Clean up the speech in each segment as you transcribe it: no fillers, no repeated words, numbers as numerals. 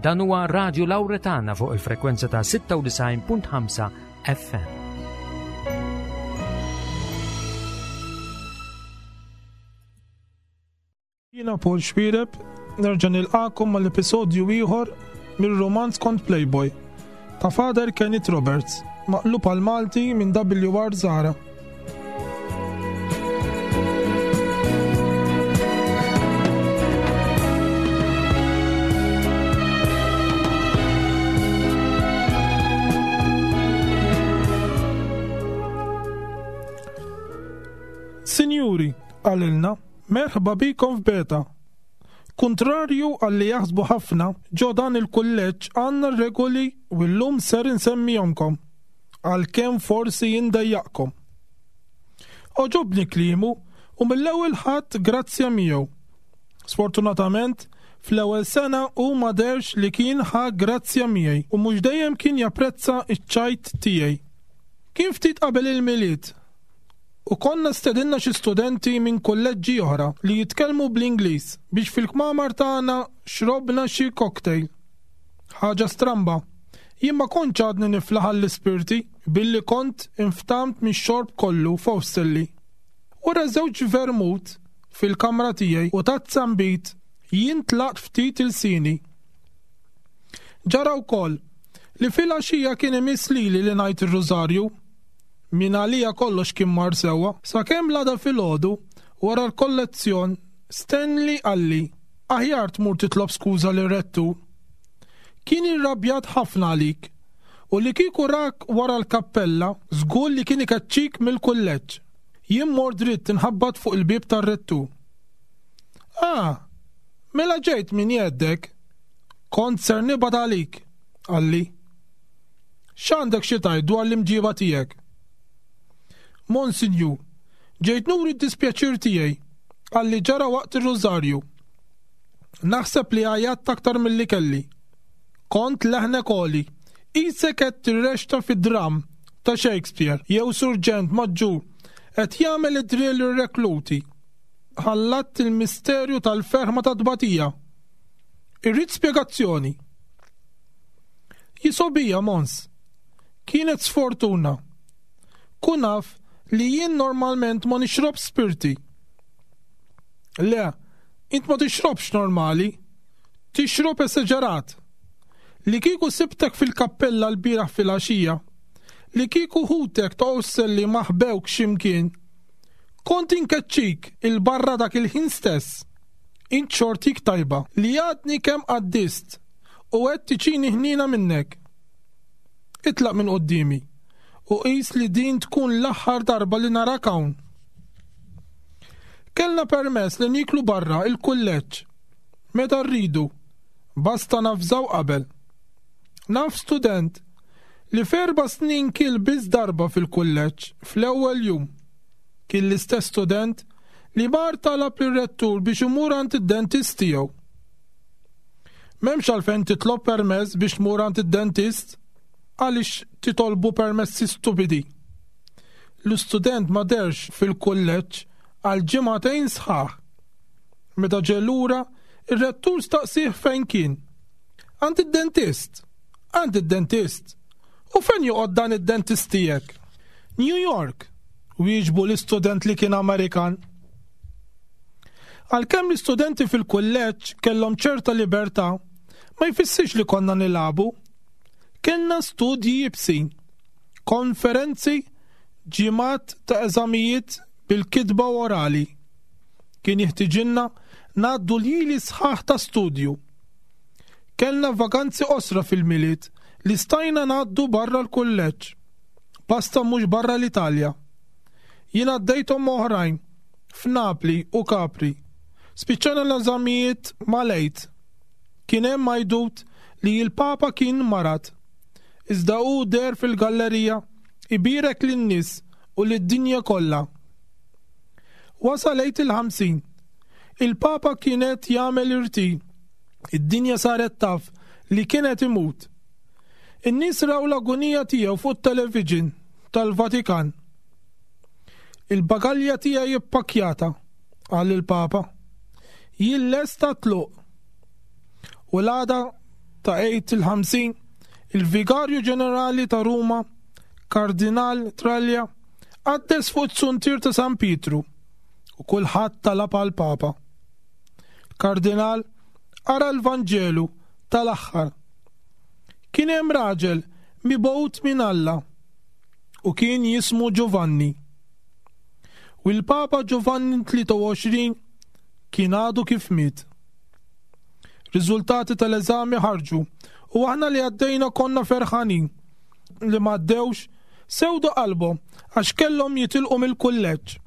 Dan huwa Radio Lauretana fuq il-frekwenza ta' 96.5 FM. Jiena Paul Xwireb, nerġa' nilqakom mal-episodju ieħor mir-romanz kont Playboy ta' Father Kenneth Roberts, maqlub għal Malti minn WR Zara. Sinjuri, qalilna, merħba bikom f'Beta. Kuntrarju għal li jaħsbu ħafna, ġo dan il-kulleġġ għandna regoli u llum ser insemmihomkom, għalkemm forsi jindejjaqkom. Għoġobni kliemu u mill-ewwel ħadt grazzja miegħu. Sfortunatament, fl-ewwel sena hu ma dehrx li kien ħa grazzja miegħi u mhux dejjem kien japprezza ċ-ċajt tiegħi. Kien ftit qabel il-Milied u konna stedinna xi studenti minn kulleġġi oħra li jitkellmu bl-Ingliż biex fil-kmamar tagħna xrobna xi cocktail. Ħaġa stramba, jien ma kontx għadni niflaħ għall-ispirti billi kont inftamt mix-xorb kollu f'Osterley. Wara żewġ vermut fil-kamra tiegħi u tazza nbid, jien tlaqt ftit ilsieni. Ġara wkoll li filgħaxija kien imiss lili li ngħid ir-Rużarju. Min għalija kollox kien mar sewwa, sakemm l-għada filgħodu, wara l-kollezzjon, Stanley qalli, Aħjar tmur titlob skuża lir-rettur. Kien irrabjat ħafna għalik, u li kieku rak wara l-kappella, żgur li kien ikeċċik mill-kulleġġ. Jien mort dritt inħabbat fuq il-bieb tar-rettur. Ah, mela ġejt min jgħeddek. Kont ser nibgħat għalik, qalli. X'għandek xi tgħid dwar l-imġiba tiegħek? Monsinjur, ġejt nuri d-dispjaċir tiegħi għal li ġara waqt ir-rużarju. Naħseb li għajjatt aktar milli kelli. Kont leħnek għoli, qisek qed tirrexta fi dramm ta' Shakespeare jew surġent maġġur qed jagħmel id-drill lir-rekluti. Ħallatt il-misterju tal-ferħ ma' tat-tbatija. Irrid spjegazzjoni. Jisobija, Mons. Kienet sfortuna. Kun af li jien normalment ma nixrobx spirti. Le, int ma tixrobx normali. Tixrob esaġerat. Li kieku sibtek fil-kappella l-bieraħ filgħaxija, li kieku ħutek ta' Osselli ma ħbewk x'imkien, kont inkeċċik 'il barra dak il-ħin stess. Int xortik tajba li għadni kemm qaddist u qed tiġini ħniena minnek. Itlaq minn quddiemi u qis li din tkun l-aħħar darba li narak hawn. Kellna permess li nieklu barra il-kulleġġ meta rridu, basta navżaw qabel. Naf student li f'erba' snin kiel biss darba fil-kulleġġ fl-ewwel jum. Kien l-istess student li mar talab lir-rettur biex imur għand id-dentist tiegħu. M'hemmx għalfejn titlob permess biex tmur għand id-dentist. Għaliex titolbu permessi stupidi? L-istudent ma dehrx fil-kulleġġ għal ġimagħtejn sħaħ. Meta ġie lura, ir-rettur staqsieh fejn kien. Għand id-dentist. Għand id-dentist. U fejn joqgħod dan id-dentist tiegħek? New York, wieġbu l-istudent li kien Amerikan. Għalkemm l-istudenti fil-kulleġġ kellhom ċerta libertà, ma jfissirx li konna nilagħbu. Kellna studji iebsin, konferenzi, ġimgħat ta' eżamijiet bil-kitba u orali. Kien jiħtiġilna ngħaddu ljieli sħaħ ta' studju. Kellna vaganzi qosra fil-Milied li stajna ngħaddu barra l-kulleġġ. Basta mhux barra l-Italja. Jien għaddejthom ma' oħrajn f'Napli u Capri. Spiċċajna l-eżamijiet mal-Għid. Kien hemm għajdut li l-Papa kien marad. Iżda hu deher fil-gallerija ibierek lin-nies u lid-dinja kollha. Wasal Għid il-50. Il-Papa kien qed jagħmel irtir. Id-dinja saret taf li kien qed imut. In-nies raw l-agunija tiegħu fuq it-television tal-Vatikan. Il-bagalja tiegħi ippakkjata, qal il-Papa. Jien lest għat-tluq. U l-għada ta' Għid il-50, il-Vigarju Ġenerali ta' Ruma, Kardinal Traglia, qaddes fuq it-suntier ta' San Pietru u kulħadd talab għall-Papa. Kardinal qara l-Vanġelu tal-aħħar. Kien hemm raġel mibgħut minn Alla u kien jismu Giovanni. U l-Papa Giovanni 23 kien għadu kif miet. Riżultati tal-eżami ħarġu u aħna li għaddejna konna ferħanin li m'għaddewx sewdu qalbhom għax kellhom jitilqu mill-kulleġġ.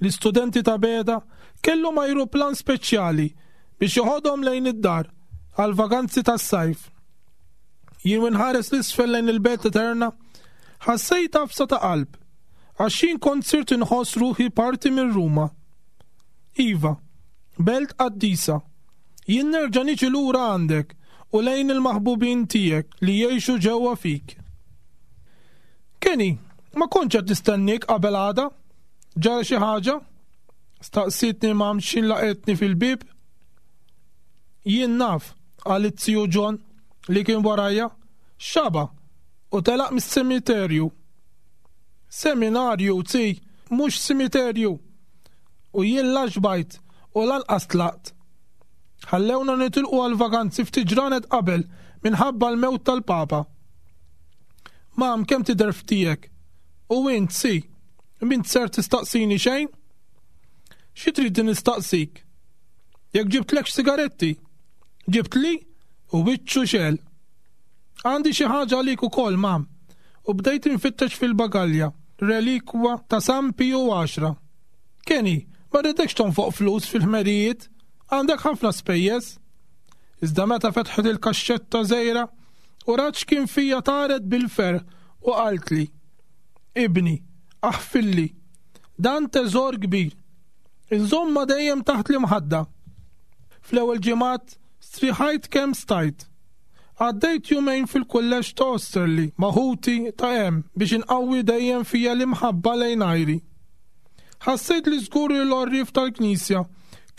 L-istudenti ta' Beda kellhom ajruplan speċjali biex joħodhom lejn id-dar għal vaganzi tas-sajf. Jien u nħares l-isfel lejn il-belt eterna, ħassejt għafsa ta' qalb għax jien kont sirt inħoss ruħi parti minn Ruma. Iva, belt qaddisa, jien nerġa' niġi lura għandek u lejn il-maħbubin tiegħek li jgħixu ġewwa fik. Kenny, ma kontx qed nistenniek qabel għada. Ġara xi ħaġa? Staqsietni mam x'in laqetni fil-bieb. Jien naf, qal it-tiju John li kien warajja, xaba u telaq mis-semiterju. Seminarju, zi, mhux simiterju. U jien la xbajt u lanqas tlaqt. Ħallewna nitilqu għal-vaganzi ftit ġranet qabel minħabba l-mewt tal-Papa. Mam, kemm tidher f'tiegħek? U int, si, m'int ser tistaqsini xejn? Xi trid nistaqsik? Jekk ġibtlekx sigaretti? Ġibtli? U wiċċu xel. Għandi xi ħaġa għalik ukoll, mam. U bdejt infittex fil-bagalja, relikwa ta' San Piju 10. Kenny, ma rridekx tonfoq flus fil-ħmerijiet, għandek ħafna spejjeż. Iżda meta fetħet il-kaxxetta żgħira u rat x'kien fija taret bil-ferħ u qaltli, Ibni, aħfilli, dan teżor kbir. Inżommha dejjem taħt l-imħadda. Fl-ewwel ġimgħat striħajt kemm stajt. Għaddejt jumejn fil-kulleġġ ta' Osterley ma' ħuti ta' hemm biex inqawwi dejjem fija l-imħabba lejn għajri. Ħassejt li żgur li l-għorrief tal-Knisja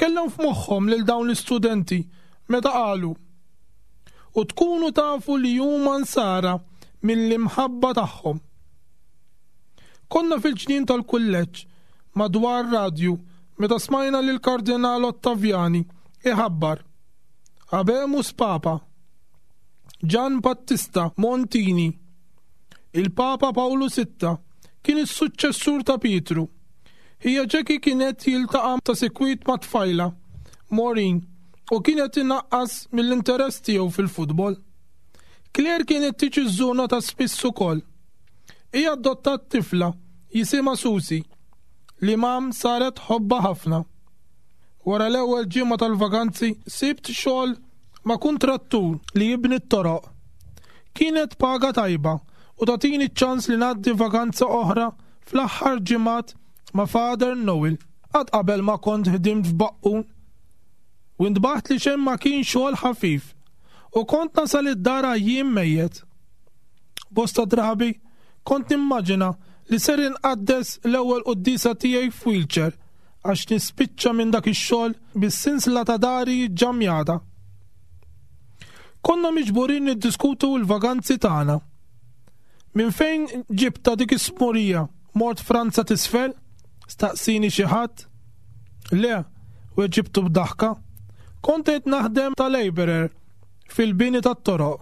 kellhom f'moħħhom lil dawn l-istudenti meta qalu, U tkunu tafu li huma nsara mill-imħabba tagħhom. Konna fil-ġnien tal-kulleġġ madwar radju meta smajna lill-Kardinal Ottaviani iħabbar, Habemus Papa. Gian Battista Montini, il-Papa Pawlu Sitta, kien is-suċċessur ta' Pietru. Ħija Jackie kien qed jiltaqa' ta' sikwit ma' tfajla, Maureen, u kien qed inaqqas mill-interess tiegħu fil-futbol. Claire kienet tiġi żżurna ta' spiss ukoll. Hi adottat tifla jisimha Susie, li mam saret tħobbha ħafna. Wara l-ewwel ġimgħa tal-vaganzi sibt xogħol ma' kuntrattur li jibni t-toroq. Kienet paga tajba u tagħtini ċ-ċans li ngħaddi vaganza oħra fl-aħħar ġimgħat ma' Father Noel. Qatt qabel ma kont ħdimt f'baqqun. U ntbaħt li xejn ma kien xogħol ħafif u kont nasal id-dar għajjien mejjet. Bosta drabi kont nimmaġina li ser inqaddes l-ewwel quddiesa tiegħi f'wheelchair għax nispiċċa minn dak ix-xogħol bis-sinsla ta' dari ġġammjata. Konna miġburin niddiskutu l-vaganzi tagħna. Minn fejn ġibta dik is-smurija? Mort Franza t'isfel? Staqsini xi ħadd. Le, weġibtu b'daħka. Kont qed naħdem ta' laborer fil-bini tat-toroq.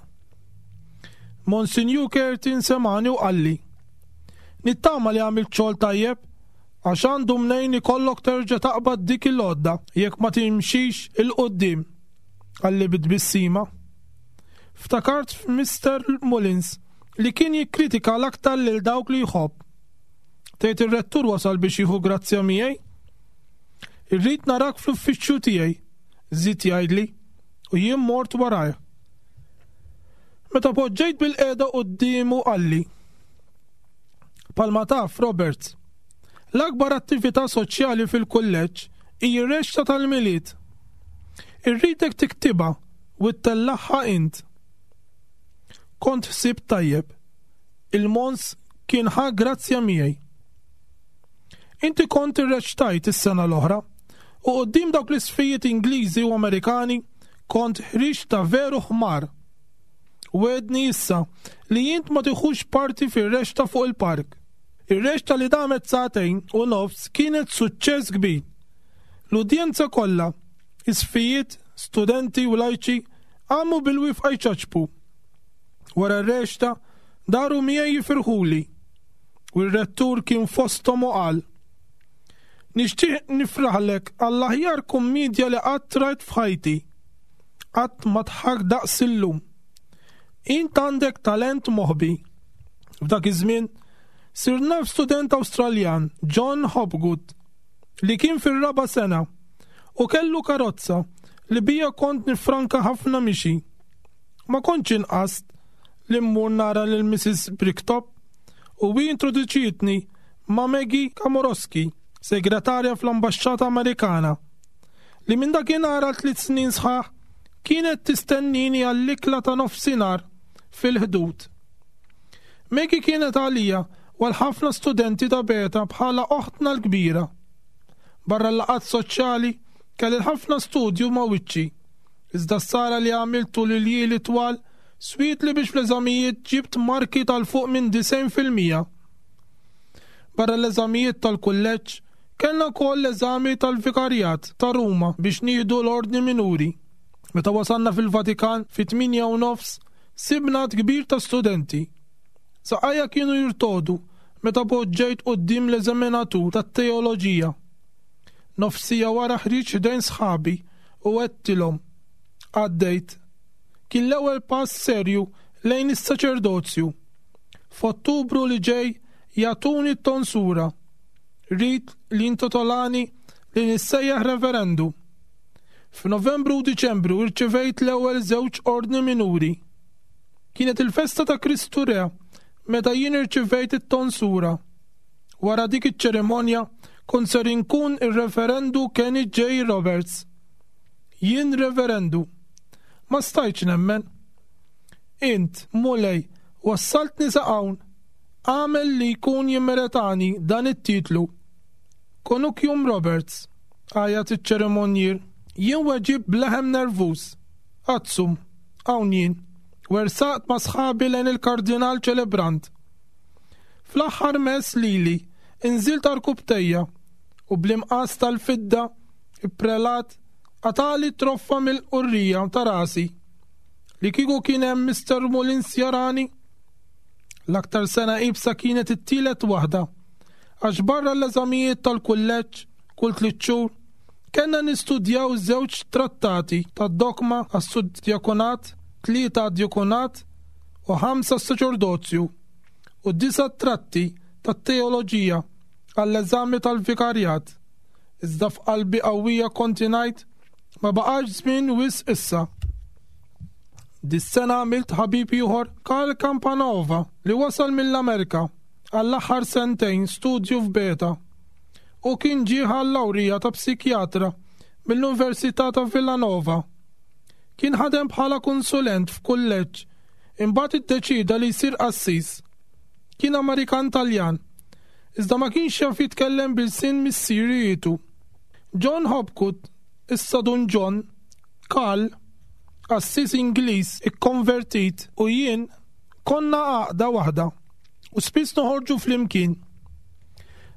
Monsinjur Curtin semani u qalli. Nittama li għamilt xogħol tajjeb għax għandu mnejn ikollok terġa' taqbad dik il-għodda jekk ma timxix 'il quddiem, qalli bi tbissima. Ftakart f'Mister Mullins li kien jikkritika l-aktar lil dawk li jħobb. Tgħid ir-rettur wasal biex jieħu grazzja miegħi? Irrid narak fl-uffiċċju tiegħi, żied jgħidli, u jien mort warajh. Meta poġġejt bil-qiegħda quddiemu qalli. Palma taf, Roberts, l-akbar attività soċjali fil-kulleġġ hi r-rexta tal-Milied. Irridek tiktibha u ttellagħha int. Kont ħsibt tajjeb. Il-Mons kien ħa grazzja miegħi. Inti kont irreċtajt is-sena l-oħra u quddiem dawk l-isfijiet Ingliżi u Amerikani kont ħriġt ta' veru ħmar. Wegħedni issa li int ma tiħux parti fir-rexta fuq il-park. Ir-rexta li damet sagħtejn u nofs kienet suċċess kbir. L-udjenza kollha, isqfijiet, studenti u lajċi, qamu bil-wifqa jċaċpu. Wara r-rexta, daru miegħi jifirħuli. U r-rettur kien fosthom u qal, Nixtieq nifraħlek għall-aħjar kummiedja li qatt rajt f'ħajti. Qatt ma dħakt daqs illum. Int għandek talent moħbi. F'dak iż-żmien, sirt naf student Awstraljan, John Hopgood, li kien fir-raba' sena u kellu karozza li bija kont nifranka ħafna mixi. Ma kontx inqast li mmur nara lil Mrs. Bricktop u hi introduċietni ma' Maggie Kamorowski, segretarja fl-Ambaxxata Amerikana, li minn dakinhar għal tliet snin sħaħ kienet tistennini għall-ikla ta' nofsinhar fil-Ħdud. Maggie kienet għalija u għal ħafna studenti ta' Beta bħala oħtna l-kbira. Barra l-laqgħat soċjali, kelli ħafna studju ma' wiċċi. Iżda s-sara li għamilt tul il-ljieli twal swietli biex fl-eżamijiet ġibt marki tal fuq minn 90%. Barra l-eżamijiet tal-kulleġġ, kellna wkoll l-eżami tal-vikarjat ta' Ruma biex nieħdu l-ordni minuri. Meta wasalna fil-Vatikan fit-8 u nofs, sibna għadd kbir ta' studenti. Saqajja kienu jirtogħdu meta poġġejt quddiem l-eżaminatur tat-teoloġija. Nofs siegħa wara ħriġt ħdejn sħabi u għedtilhom. Għaddejt. Kien l-ewwel pass serju lejn is-saċerdozju. F'Ottubru li ġej jagħtuni t-tonsura. Rit li intitolani li nissejjaħ reverendu. F'Novembru u Diċembru irċevejt l-ewwel żewġ ordni minuri. Kienet il-festa ta' Kristu Re meta jien irċevejt it-tonsura. Wara dik iċ-ċerimonja kont ser inkun ir-reverendu Kenny J. Roberts. Jien reverendu. Ma stajtx nemmen. Int, Mulej, wassaltni sa hawn. Agħmel li jkun jimmeretani dan it-titlu. Konukium Roberts, għajat iċ-ċerimonjier. Jien weġibt b'leħen nervuż. Adsum, hawn jien. Wersaqt ma' sħabi lejn il-kardinal ċelebrant. Fl-aħħar mess lili, inżilt għarkupptejja u bl-imqas tal-fidda, il-prelat qatagħli troffa mill-qurrija ta' rasi. Li kieku kien hemm Mr. Mullins jarani? L-aktar sena iebsa kienet it-tielet waħda. Għax barra l-eżamijiet tal-kulleġġ kull 3 xhur, kellna nistudjaw żewġ trattati tad-dogma għas-suddiakonat, tlieta għad-djakonat u ħamsa s-saċerdozju u disa' tratti tat-teoloġija għall-eżami tal-vikarjat. Iżda f'qalbi qawwija kont ngħid ma baqax żmien wisq issa. Dis-sena għamilt ħabib ieħor Karl Campanova li wasal mill-Amerika għall-aħħar sentejn studju f'Beta. U kien ġie għal-lawrija ta' psikjatra mill-Università ta' Villanova. Kien ħadem bħala konsulent f'kulleġġ, imbagħad iddeċida li jsir qassis. Kien Amerikan Taljan, iżda ma kienx jaf jitkellem b'ilsien missierijietu. John Hopgood, issa Dun John, Karl, qassis Ingliż ikkonvertit u jien konna għaqda waħda u spiss noħorġu flimkien.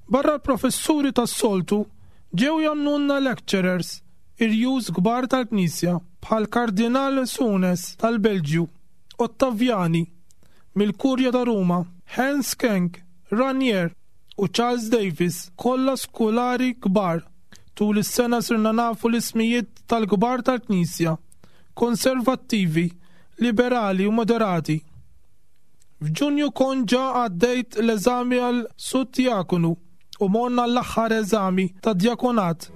Barra l-professuri tas-soltu ġew jagħmlulna lecturers irjus kbar tal-Knisja bħal Kardinal Suenens tal-Belġju, Ottaviani mill-Kurja ta' Ruma, Hans Kenk, Ranier u Charles Davis, kollha skolari kbar. Tul is-sena sirna nafu l-ismijiet tal-kbar tal-Knisja, konservattivi, liberali u moderati. F'Ġunju kont ġa għaddejt l-eżami għal suddiakonu u morna l-aħħar eżami ta' djakonat.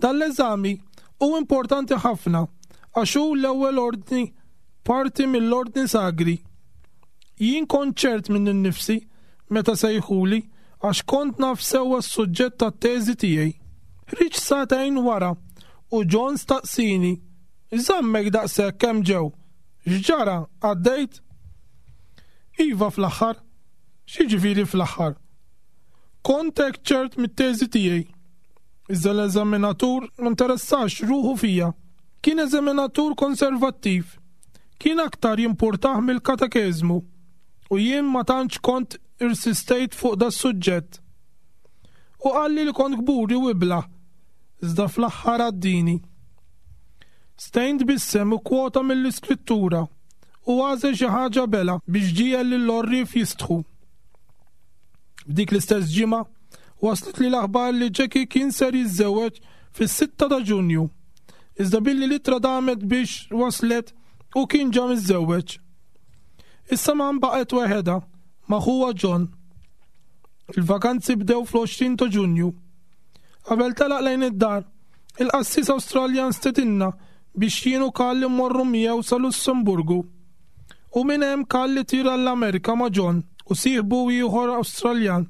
Dan l-eżami hu importanti ħafna għax hu l-ewwel ordni parti mill-ordni sagri. Jien kont ċert minni nnifsi meta sejħuli għax kont naf sewwa s-suġġett tat-teżi tiegħi. Ħriġt sagħtejn wara u John staqsieni, X'żammek daqshekk hemm ġew? X'ġara, għaddejt? Iva fl-aħħar. X'jiġifieri fl-aħħar? Kont hekk ċert mit-teżi tiegħi. Iżda l-eżaminatur ma interessax ruħu fija. Kien eżaminatur konservattiv. Kien aktar jimpurtah mill-katekeżmu u jien ma tantx kont irsistejt fuq das-suġġett. U qalli li kont kburi u iblah, iżda fl-aħħar għaddini. Stein tbissem u kkwota mill-Iskrittura u għażel xi ħaġa bela biex ġiegħel lill-għorrief jistħu. F'dik l-istess ġimgħa waslitli l-aħbar li Jackie kien ser jiżżewweġ fis-sitta ta' Ġunju. Iżda billi l-ittra damet biex waslet hu kien ġa miżżewweġ. Issa Mam baqgħet weħedha ma' ħuha John. Il-vakanzi bdew fl-20 ta' Ġunju. Qabel telaq lejn id-dar, il-qassis Awstraljan stedinna biex jien u Karl immorru miegħu sa Lussemburgu. U minn hemm Karl itir għall-Amerika ma' John u sieħbu ieħor Awstraljan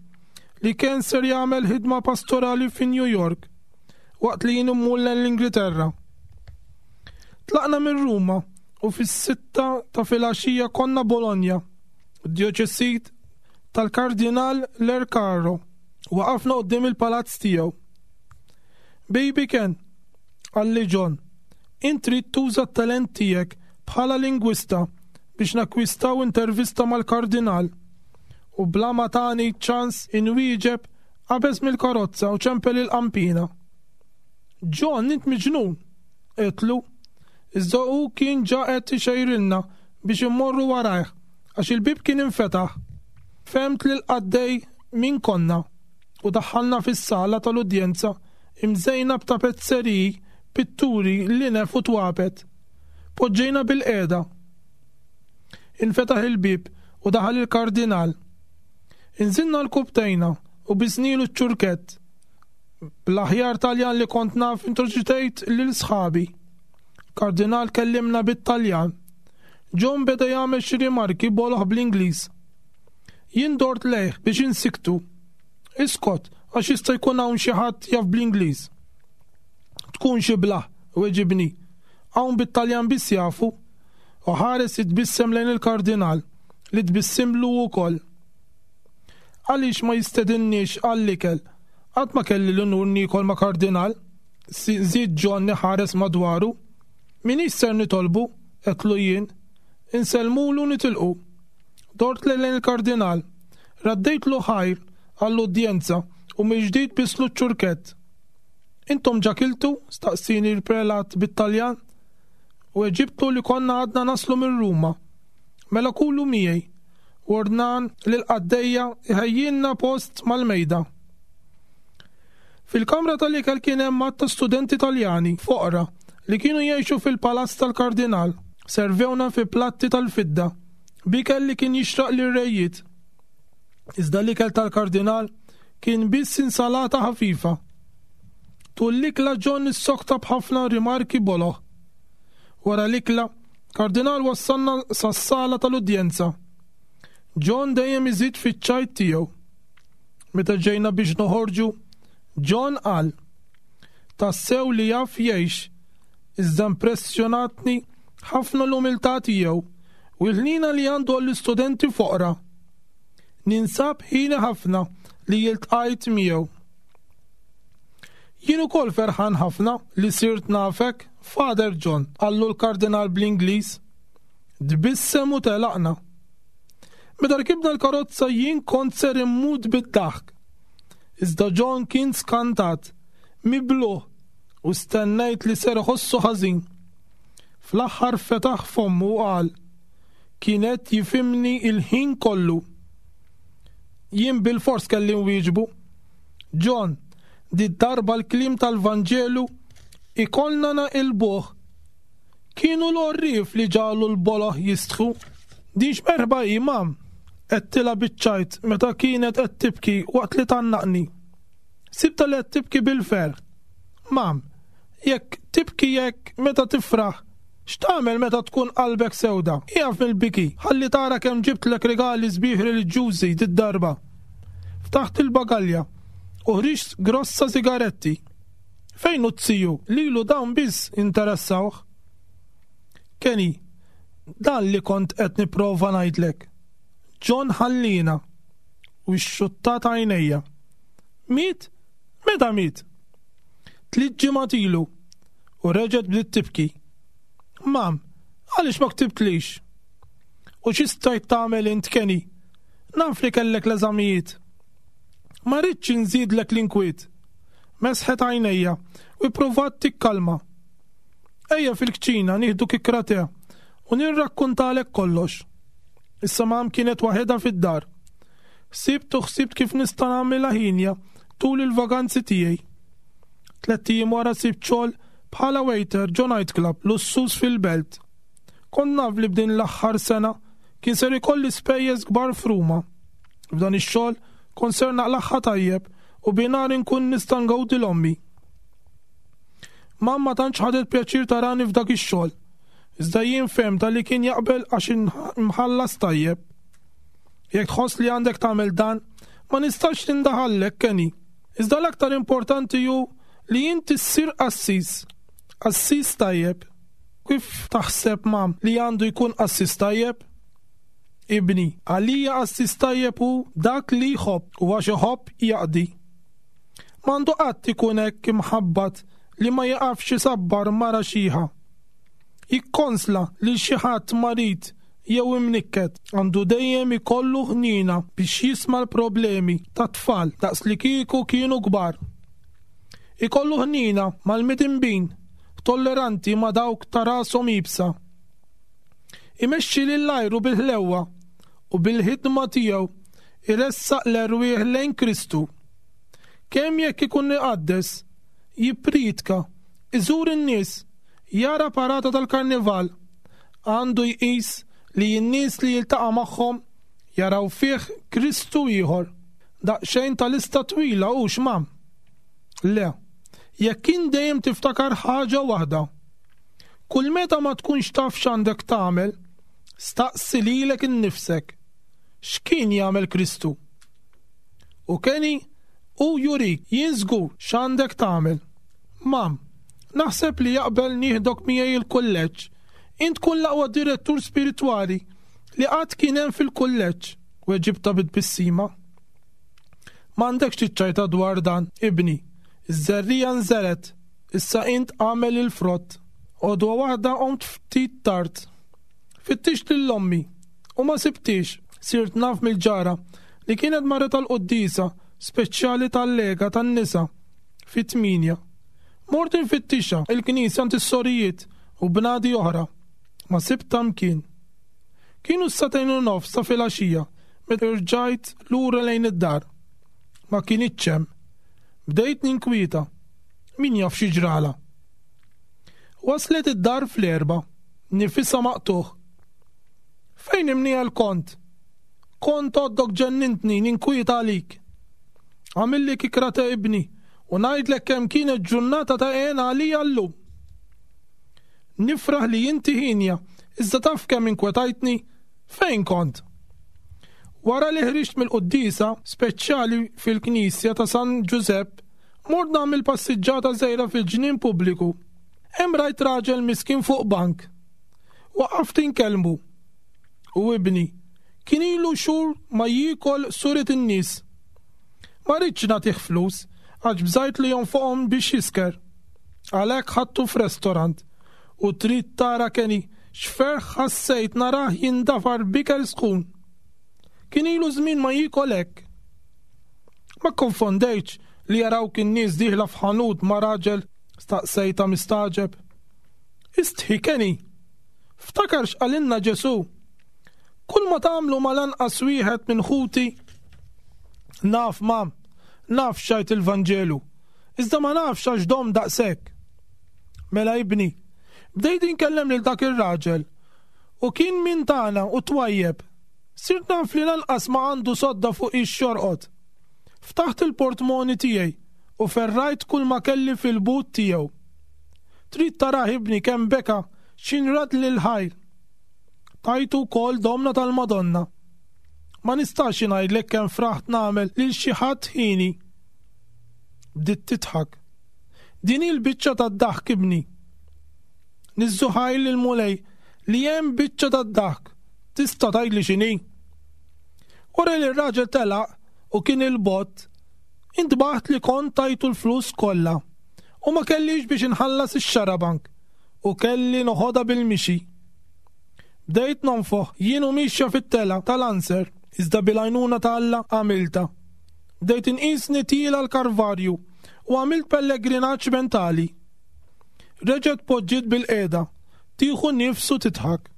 li kien ser jagħmel ħidma pastorali fi New York waqt li jien immur lejn l-Ingilterra. Tlaqna minn Ruma u fis-sitta ta' filgħaxija konna Bologna, djoċesit tal-Kardinal Lercaro. Waqafna quddiem il-palazz tiegħu. Baby Ken, qalli John, int trid tuża t-talent tiegħek bħala lingwista biex nakkwistaw intervista mal-Kardinal. U bla ma tani ċans inwieġeb qabeż mill-karozza u ċempel il-qampina. John, int miġnun! għedtlu. Iżda hu kien ġa qed ixejrilna biex immorru warajh għax il-bieb kien infetaħ. Fehmt lill-qaddej min konna u daħħalna fis-sala tal-udjenza imżejna b'tapezzeriji, pitturi, linef u twapet. Poġġejna bilqiegħda. Infetaħ il-bieb u daħal il-Kardinal. Inżilna rkubtejna u bisnilu ċ-ċurkett. Bl-aħjar Taljan li kont naf introduċejt lil sħabi. Kardinal kellimna bit-Taljan. John beda jagħmel xi rimarki boloh bl-Ingliż. Jien dort lejh biex insiktu. Iskot, għax jista' jkun hawn xi ħadd jaf bl-Ingliż. Tkun xi blah, weġibni. Hawn bit-Taljan biss jafu. U ħares jitbissem lejn il-Kardinal, li tbissimlu wkoll. Għaliex ma jistedinniex għall-ikel? Qatt ma kelli l-unur niekol ma' Kardinal, żied John iħares madwaru. M'iniex ser nitolbu, għedtlu jien. Insellmulu u nitilqu. Dort lejn il-Kardinal. Raddejtlu ħajr għall-udjenza u mill-ġdid bistlu ċ-ċurkett. Intom ġa kiltu? staqsieni l-prelat bit-Taljan. Weġibtlu li konna għadna naslu minn Ruma. Mela kulu miegħi. U ordnan lill-qaddejja jħejjilna post mal-mejda. Fil-kamra tal-ikel kien hemm għadd ta' studenti Taljani foqra li kienu jgħixu fil-palazz tal-Kardinal. Servewna fi platti tal-fidda b'ikel li kien jixraq lir-rejiet. Iżda l-ikel tal-Kardinal kien biss insalata ħafifa. Tul l-ikla John issokta b'ħafna rimarki boloh. Wara l-ikla, Kardinal wassalna sas-sala tal-udjenza. John dejjem iżid fiċ-ċajt tiegħu. Meta ġejna biex noħorġu, John qal, Tassew li jaf jgħix, iżda impressjonatni ħafna l-umiltà tiegħu u l-ħniena li għandu għall-istudenti foqra. Ninsab ħieni ħafna li iltqajt miegħu. Jien ukoll ferħan ħafna li sirt nafek, Father John, qallu l-Kardinal bl-Ingliż. Tbissem u telaqna. Meta rkibna l-karozza jien kont ser immut bid-daħk. Iżda John kien skantat, mibluh, u stennejt li ser iħossu ħażin. Fl-aħħar fetaħ fommu u qal, Kien qed jifhimni l-ħin kollu. Jien bilfors kelli nwieġbu. John, did-darba l-kliem tal-Vanġelu ikollna naqilbuh. Kienu l-għorrief li ġagħlu l-boloh jistħu. Din x'merħba hi, mam? Għedtilha biċ-ċajt meta kienet qed tibki waqt li tgħannaqni. Sibtha li qed tibki bil-ferħ. Mam, Jekk tibki hekk meta tifraħ, x'tagħmel meta tkun qalbek sewda? Ieqaf mill-biki, ħalli tara kemm ġibtlek rigali sbieħ reliġjużi did-darba. Ftaħt il-bagalja u ħriġt grossa sigaretti. Fejn hu z-ziju? Lilu dawn biss jinteressawh. Kenny, dan li kont qed nipprova ngħidlek. John ħalliena. U xxuttat għajnejja. Miet? Meta miet? Tliet ġimgħat ilu. U reġgħet bdiet tibki. Mam, għaliex ma ktibtlix? U xi stajt tagħmel int Kenny? Naf li kellek l-eżamijiet. Ma ridtx inżidlek l-inkwiet. Mesħet għajnejja u ippruvat tikkalma. Ejja fil-kċina nieħdu kikra te u nirrakkuntalek kollox. Issa mam kienet waħedha fid-dar. Ħsibt u ħsibt kif nista' nagħmilha ħinja tul il-vaganzi tiegħi. Tlett ijiem wara sibt xogħol bħala waiter ġo nightclub lussuż fil-belt. Kont naf li b'din l-aħħar sena kien ser ikolli spejjeż kbar f'Ruma. F'dan ix-xogħol kont ser naqlagħha tajjeb u bi nhar inkun nista' ngawdi 'l ommi. Mam ma tantx ħadet pjaċir tarani f'dak ix-xogħol. Iżda jien fehmtha li kien jaqbel għax imħallas tajjeb. Jekk tħoss li għandek tagħmel dan, ma nistax nindaħallek, Kenny. Iżda l-aktar importanti hu li inti ssir qassis. Qassis tajjeb. Kif taħseb, mam, li għandu jkun qassis tajjeb? Ibni, għalija qassis tajjeb hu dak li jħobb u għax iħobb jaqdi. M'għandu qatt ikun hekk imħabbat li ma jiqafx isabbar mara xiħa. Jikkonsla lil xi ħadd marid jew imnikket. Għandu dejjem ikollu ħniena biex jisma' l-problemi tat-tfal daqslikieku kienu kbar. Ikollu ħniena mal-midinbin, tolleranti ma' dawk ta' rashom iebsa. Imexxi lil għajru bil-ħlewwa u bil-ħidma tiegħu iressaq l-erwieħ lejn Kristu. Kemm jekk ikun iqaddes, jippriedka, iżur in-nies, jara parata tal-karnival, għandu jqis li n-nies li jiltaqa' magħhom jaraw fih Kristu ieħor. Daqsxejn ta' lista twila hux, Mam? Le. Jekk int dejjem tiftakar ħaġa waħda. Kull meta ma tkunx taf x'għandek tagħmel, staqsi lilek innifsek, x'kien jagħmel Kristu? U Kenny, hu jurik, jien żgur, x'għandek tagħmel. Mam, naħseb li jaqbel nieħdok miegħi il-kulleġġ. Int tkun l-aqwa direttur spiritwali li qatt kien hemm fil-kulleġġ, weġibtha bi tbissima. M'għandekx tiċċajta dwar dan, ibni. Iż-żerriegħa nżergħet, issa int agħmel il-frott. Għodwa waħda qomt ftit tard. Fittixt lil ommi u ma sibthiex. Sirt naf mill-ġara li kienet marret għall-quddiesa speċjali tal-Lega tan-Nisa fit-tmienja. Mort infittixha il-knisja għand is-sorijiet u bnadi oħra. Ma sibtha mkien. Kienu s-sagħtejn u nofs ta' filgħaxija meta rġajt lura lejn id-dar. Ma kinitx hemm. Bdejt ninkwieta. Min jaf xi ġralha. Waslet id-dar fl-erbgħa, nifisha maqtugħ. Fejn imniegħel kont? Kont għoddok ġennintni ninkwieta għalik. Għamilli kikra ta' ibni u ngħidlek kemm kienet ġurnata ta' hena għalija llum. Nifraħ li inti ħinja, iżda taf kemm inkwetajtni? Fejn kont? Wara li ħriġt mill-quddiesa speċjali fil-knisja ta' San Ġużepp, mort nagħmel passiġġata żgħira fil-ġnien pubbliku. Hemm rajt raġel miskin fuq bank. Waqaft inkellmu. U ibni, kien ilu xhur ma jiekol suret in-nies. Ma ridtx nagħtih flus għax bżajt li jonfoqhom biex jisker. Għalhekk ħadtu f'restorant u trid tara Kenny x'ferħ ħassejt narah jindafar b'ikel sħun. Kien ilu żmien ma jiekol hekk. Ma kkonfondejtx li jarawk in-nies dieħla f'ħanut ma' raġel? staqsejtha mistagħġeb. Istħi Kenny! Ftakar x'qalilna Ġesù. Kull ma tagħmlu mal-anqas wieħed minn ħuti Naf, mam, naf x'għid il-Vanġelu, iżda ma nafx għax dom daqshekk. Mela ibni, bdejt inkellem lil dak ir-raġel u kien min tagħna u twajjeb. Sirt naf li lanqas ma għandu sodda fuq ix jorqod. Ftaħt il-portmoni tiegħi u ferrajt kull ma kelli fil-but tiegħu. Trid tarah ibni kemm beka x'inrad lil ħajr. Tajtu wkoll domna tal-Madonna. Ma nistax ingħidlek kemm fraħt nagħmel lil xi ħadd ħini. Bdiet tidħak. Din hi l-biċċa tad-daħk ibni. Niżżu ħajr lill-Mulej li hemm biċċa tad-daħk. Tista' tgħidli x'inhi? Wara li r-raġel telaq u kien il-bogħod, intbaħt li kont tajtu l-flus kollha u ma kellix biex inħallas ix-xarabank u kelli noħodha bil-mixi. Bdejt nonfoħ jien u mixja fit-telgħa tal-Anser, iżda bil-għajnuna ta' Alla għamiltha. Bdejt inqisni tiela' l-Karvarju u għamilt pellegrinaġġ mentali. Reġgħet poġġiet bilqiegħda, tieħu nifs u tidħak.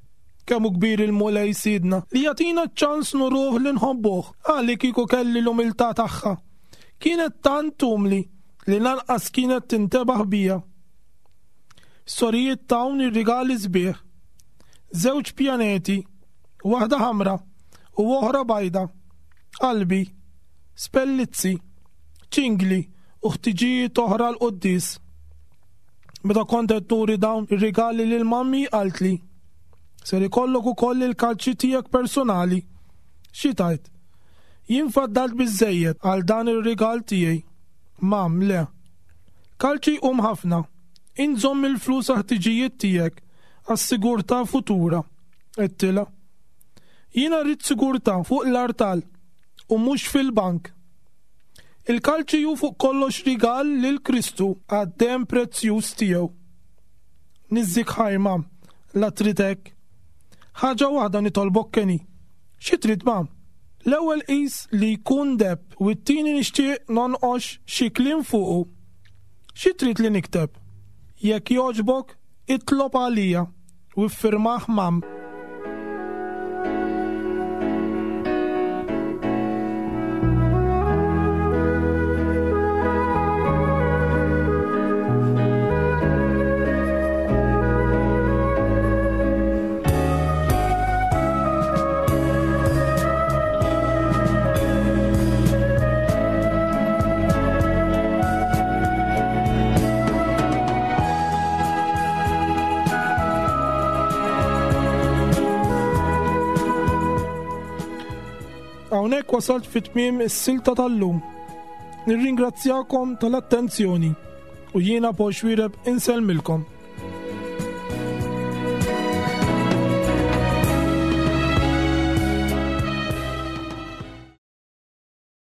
Kemm hu kbir il-Mulej Sidna li jagħtina ċ-ċans nuruh li nħobbuh, ah li kieku kelli l-umiltà tagħha. Kienet tant umli li lanqas kienet tintebaħ bija. Sorijiet tawni rigali sbieħ. Żewġ pjaneti, waħda ħamra u oħra bajda. Qalbi, spellizzi, ċingli u ħtiġijiet oħra l-quddies. Meta kont qed nuri dawn ir-rigali lil mammi qaltli, Ser ikollok ukoll il-kalċi tiegħek personali. Xi tgħid? Jien faddalt biżżejjed għal dan ir-rigal tiegħi. Mam, le. Kalċi jqum ħafna. Int żomm il-flus għall-ħtiġijiet tiegħek, għas-sigurtà futura. Għedtilha. Jiena rrid sigurtà fuq l-artal u mhux fil-bank. Il-kalċi hu fuq kollox rigal lil Kristu għad-demm prezzjuż tiegħu. Niżżik ħaj, mam, la trid hekk. Ħaġa waħda nitolbok Kenny. Xi trid, mam? L-ewwel qis li jkun deheb u t-tieni nixtieq nonqox xi kliem fuqu. Xi trid li nikteb? Jekk jogħġbok, itlob għalija u iffirmah mam. Hawnhekk wasalt fi tmiem is-silta tal-lum. Nirringrazzjakom tal-attenzjoni u jiena Paul Xuereb insellmilkom.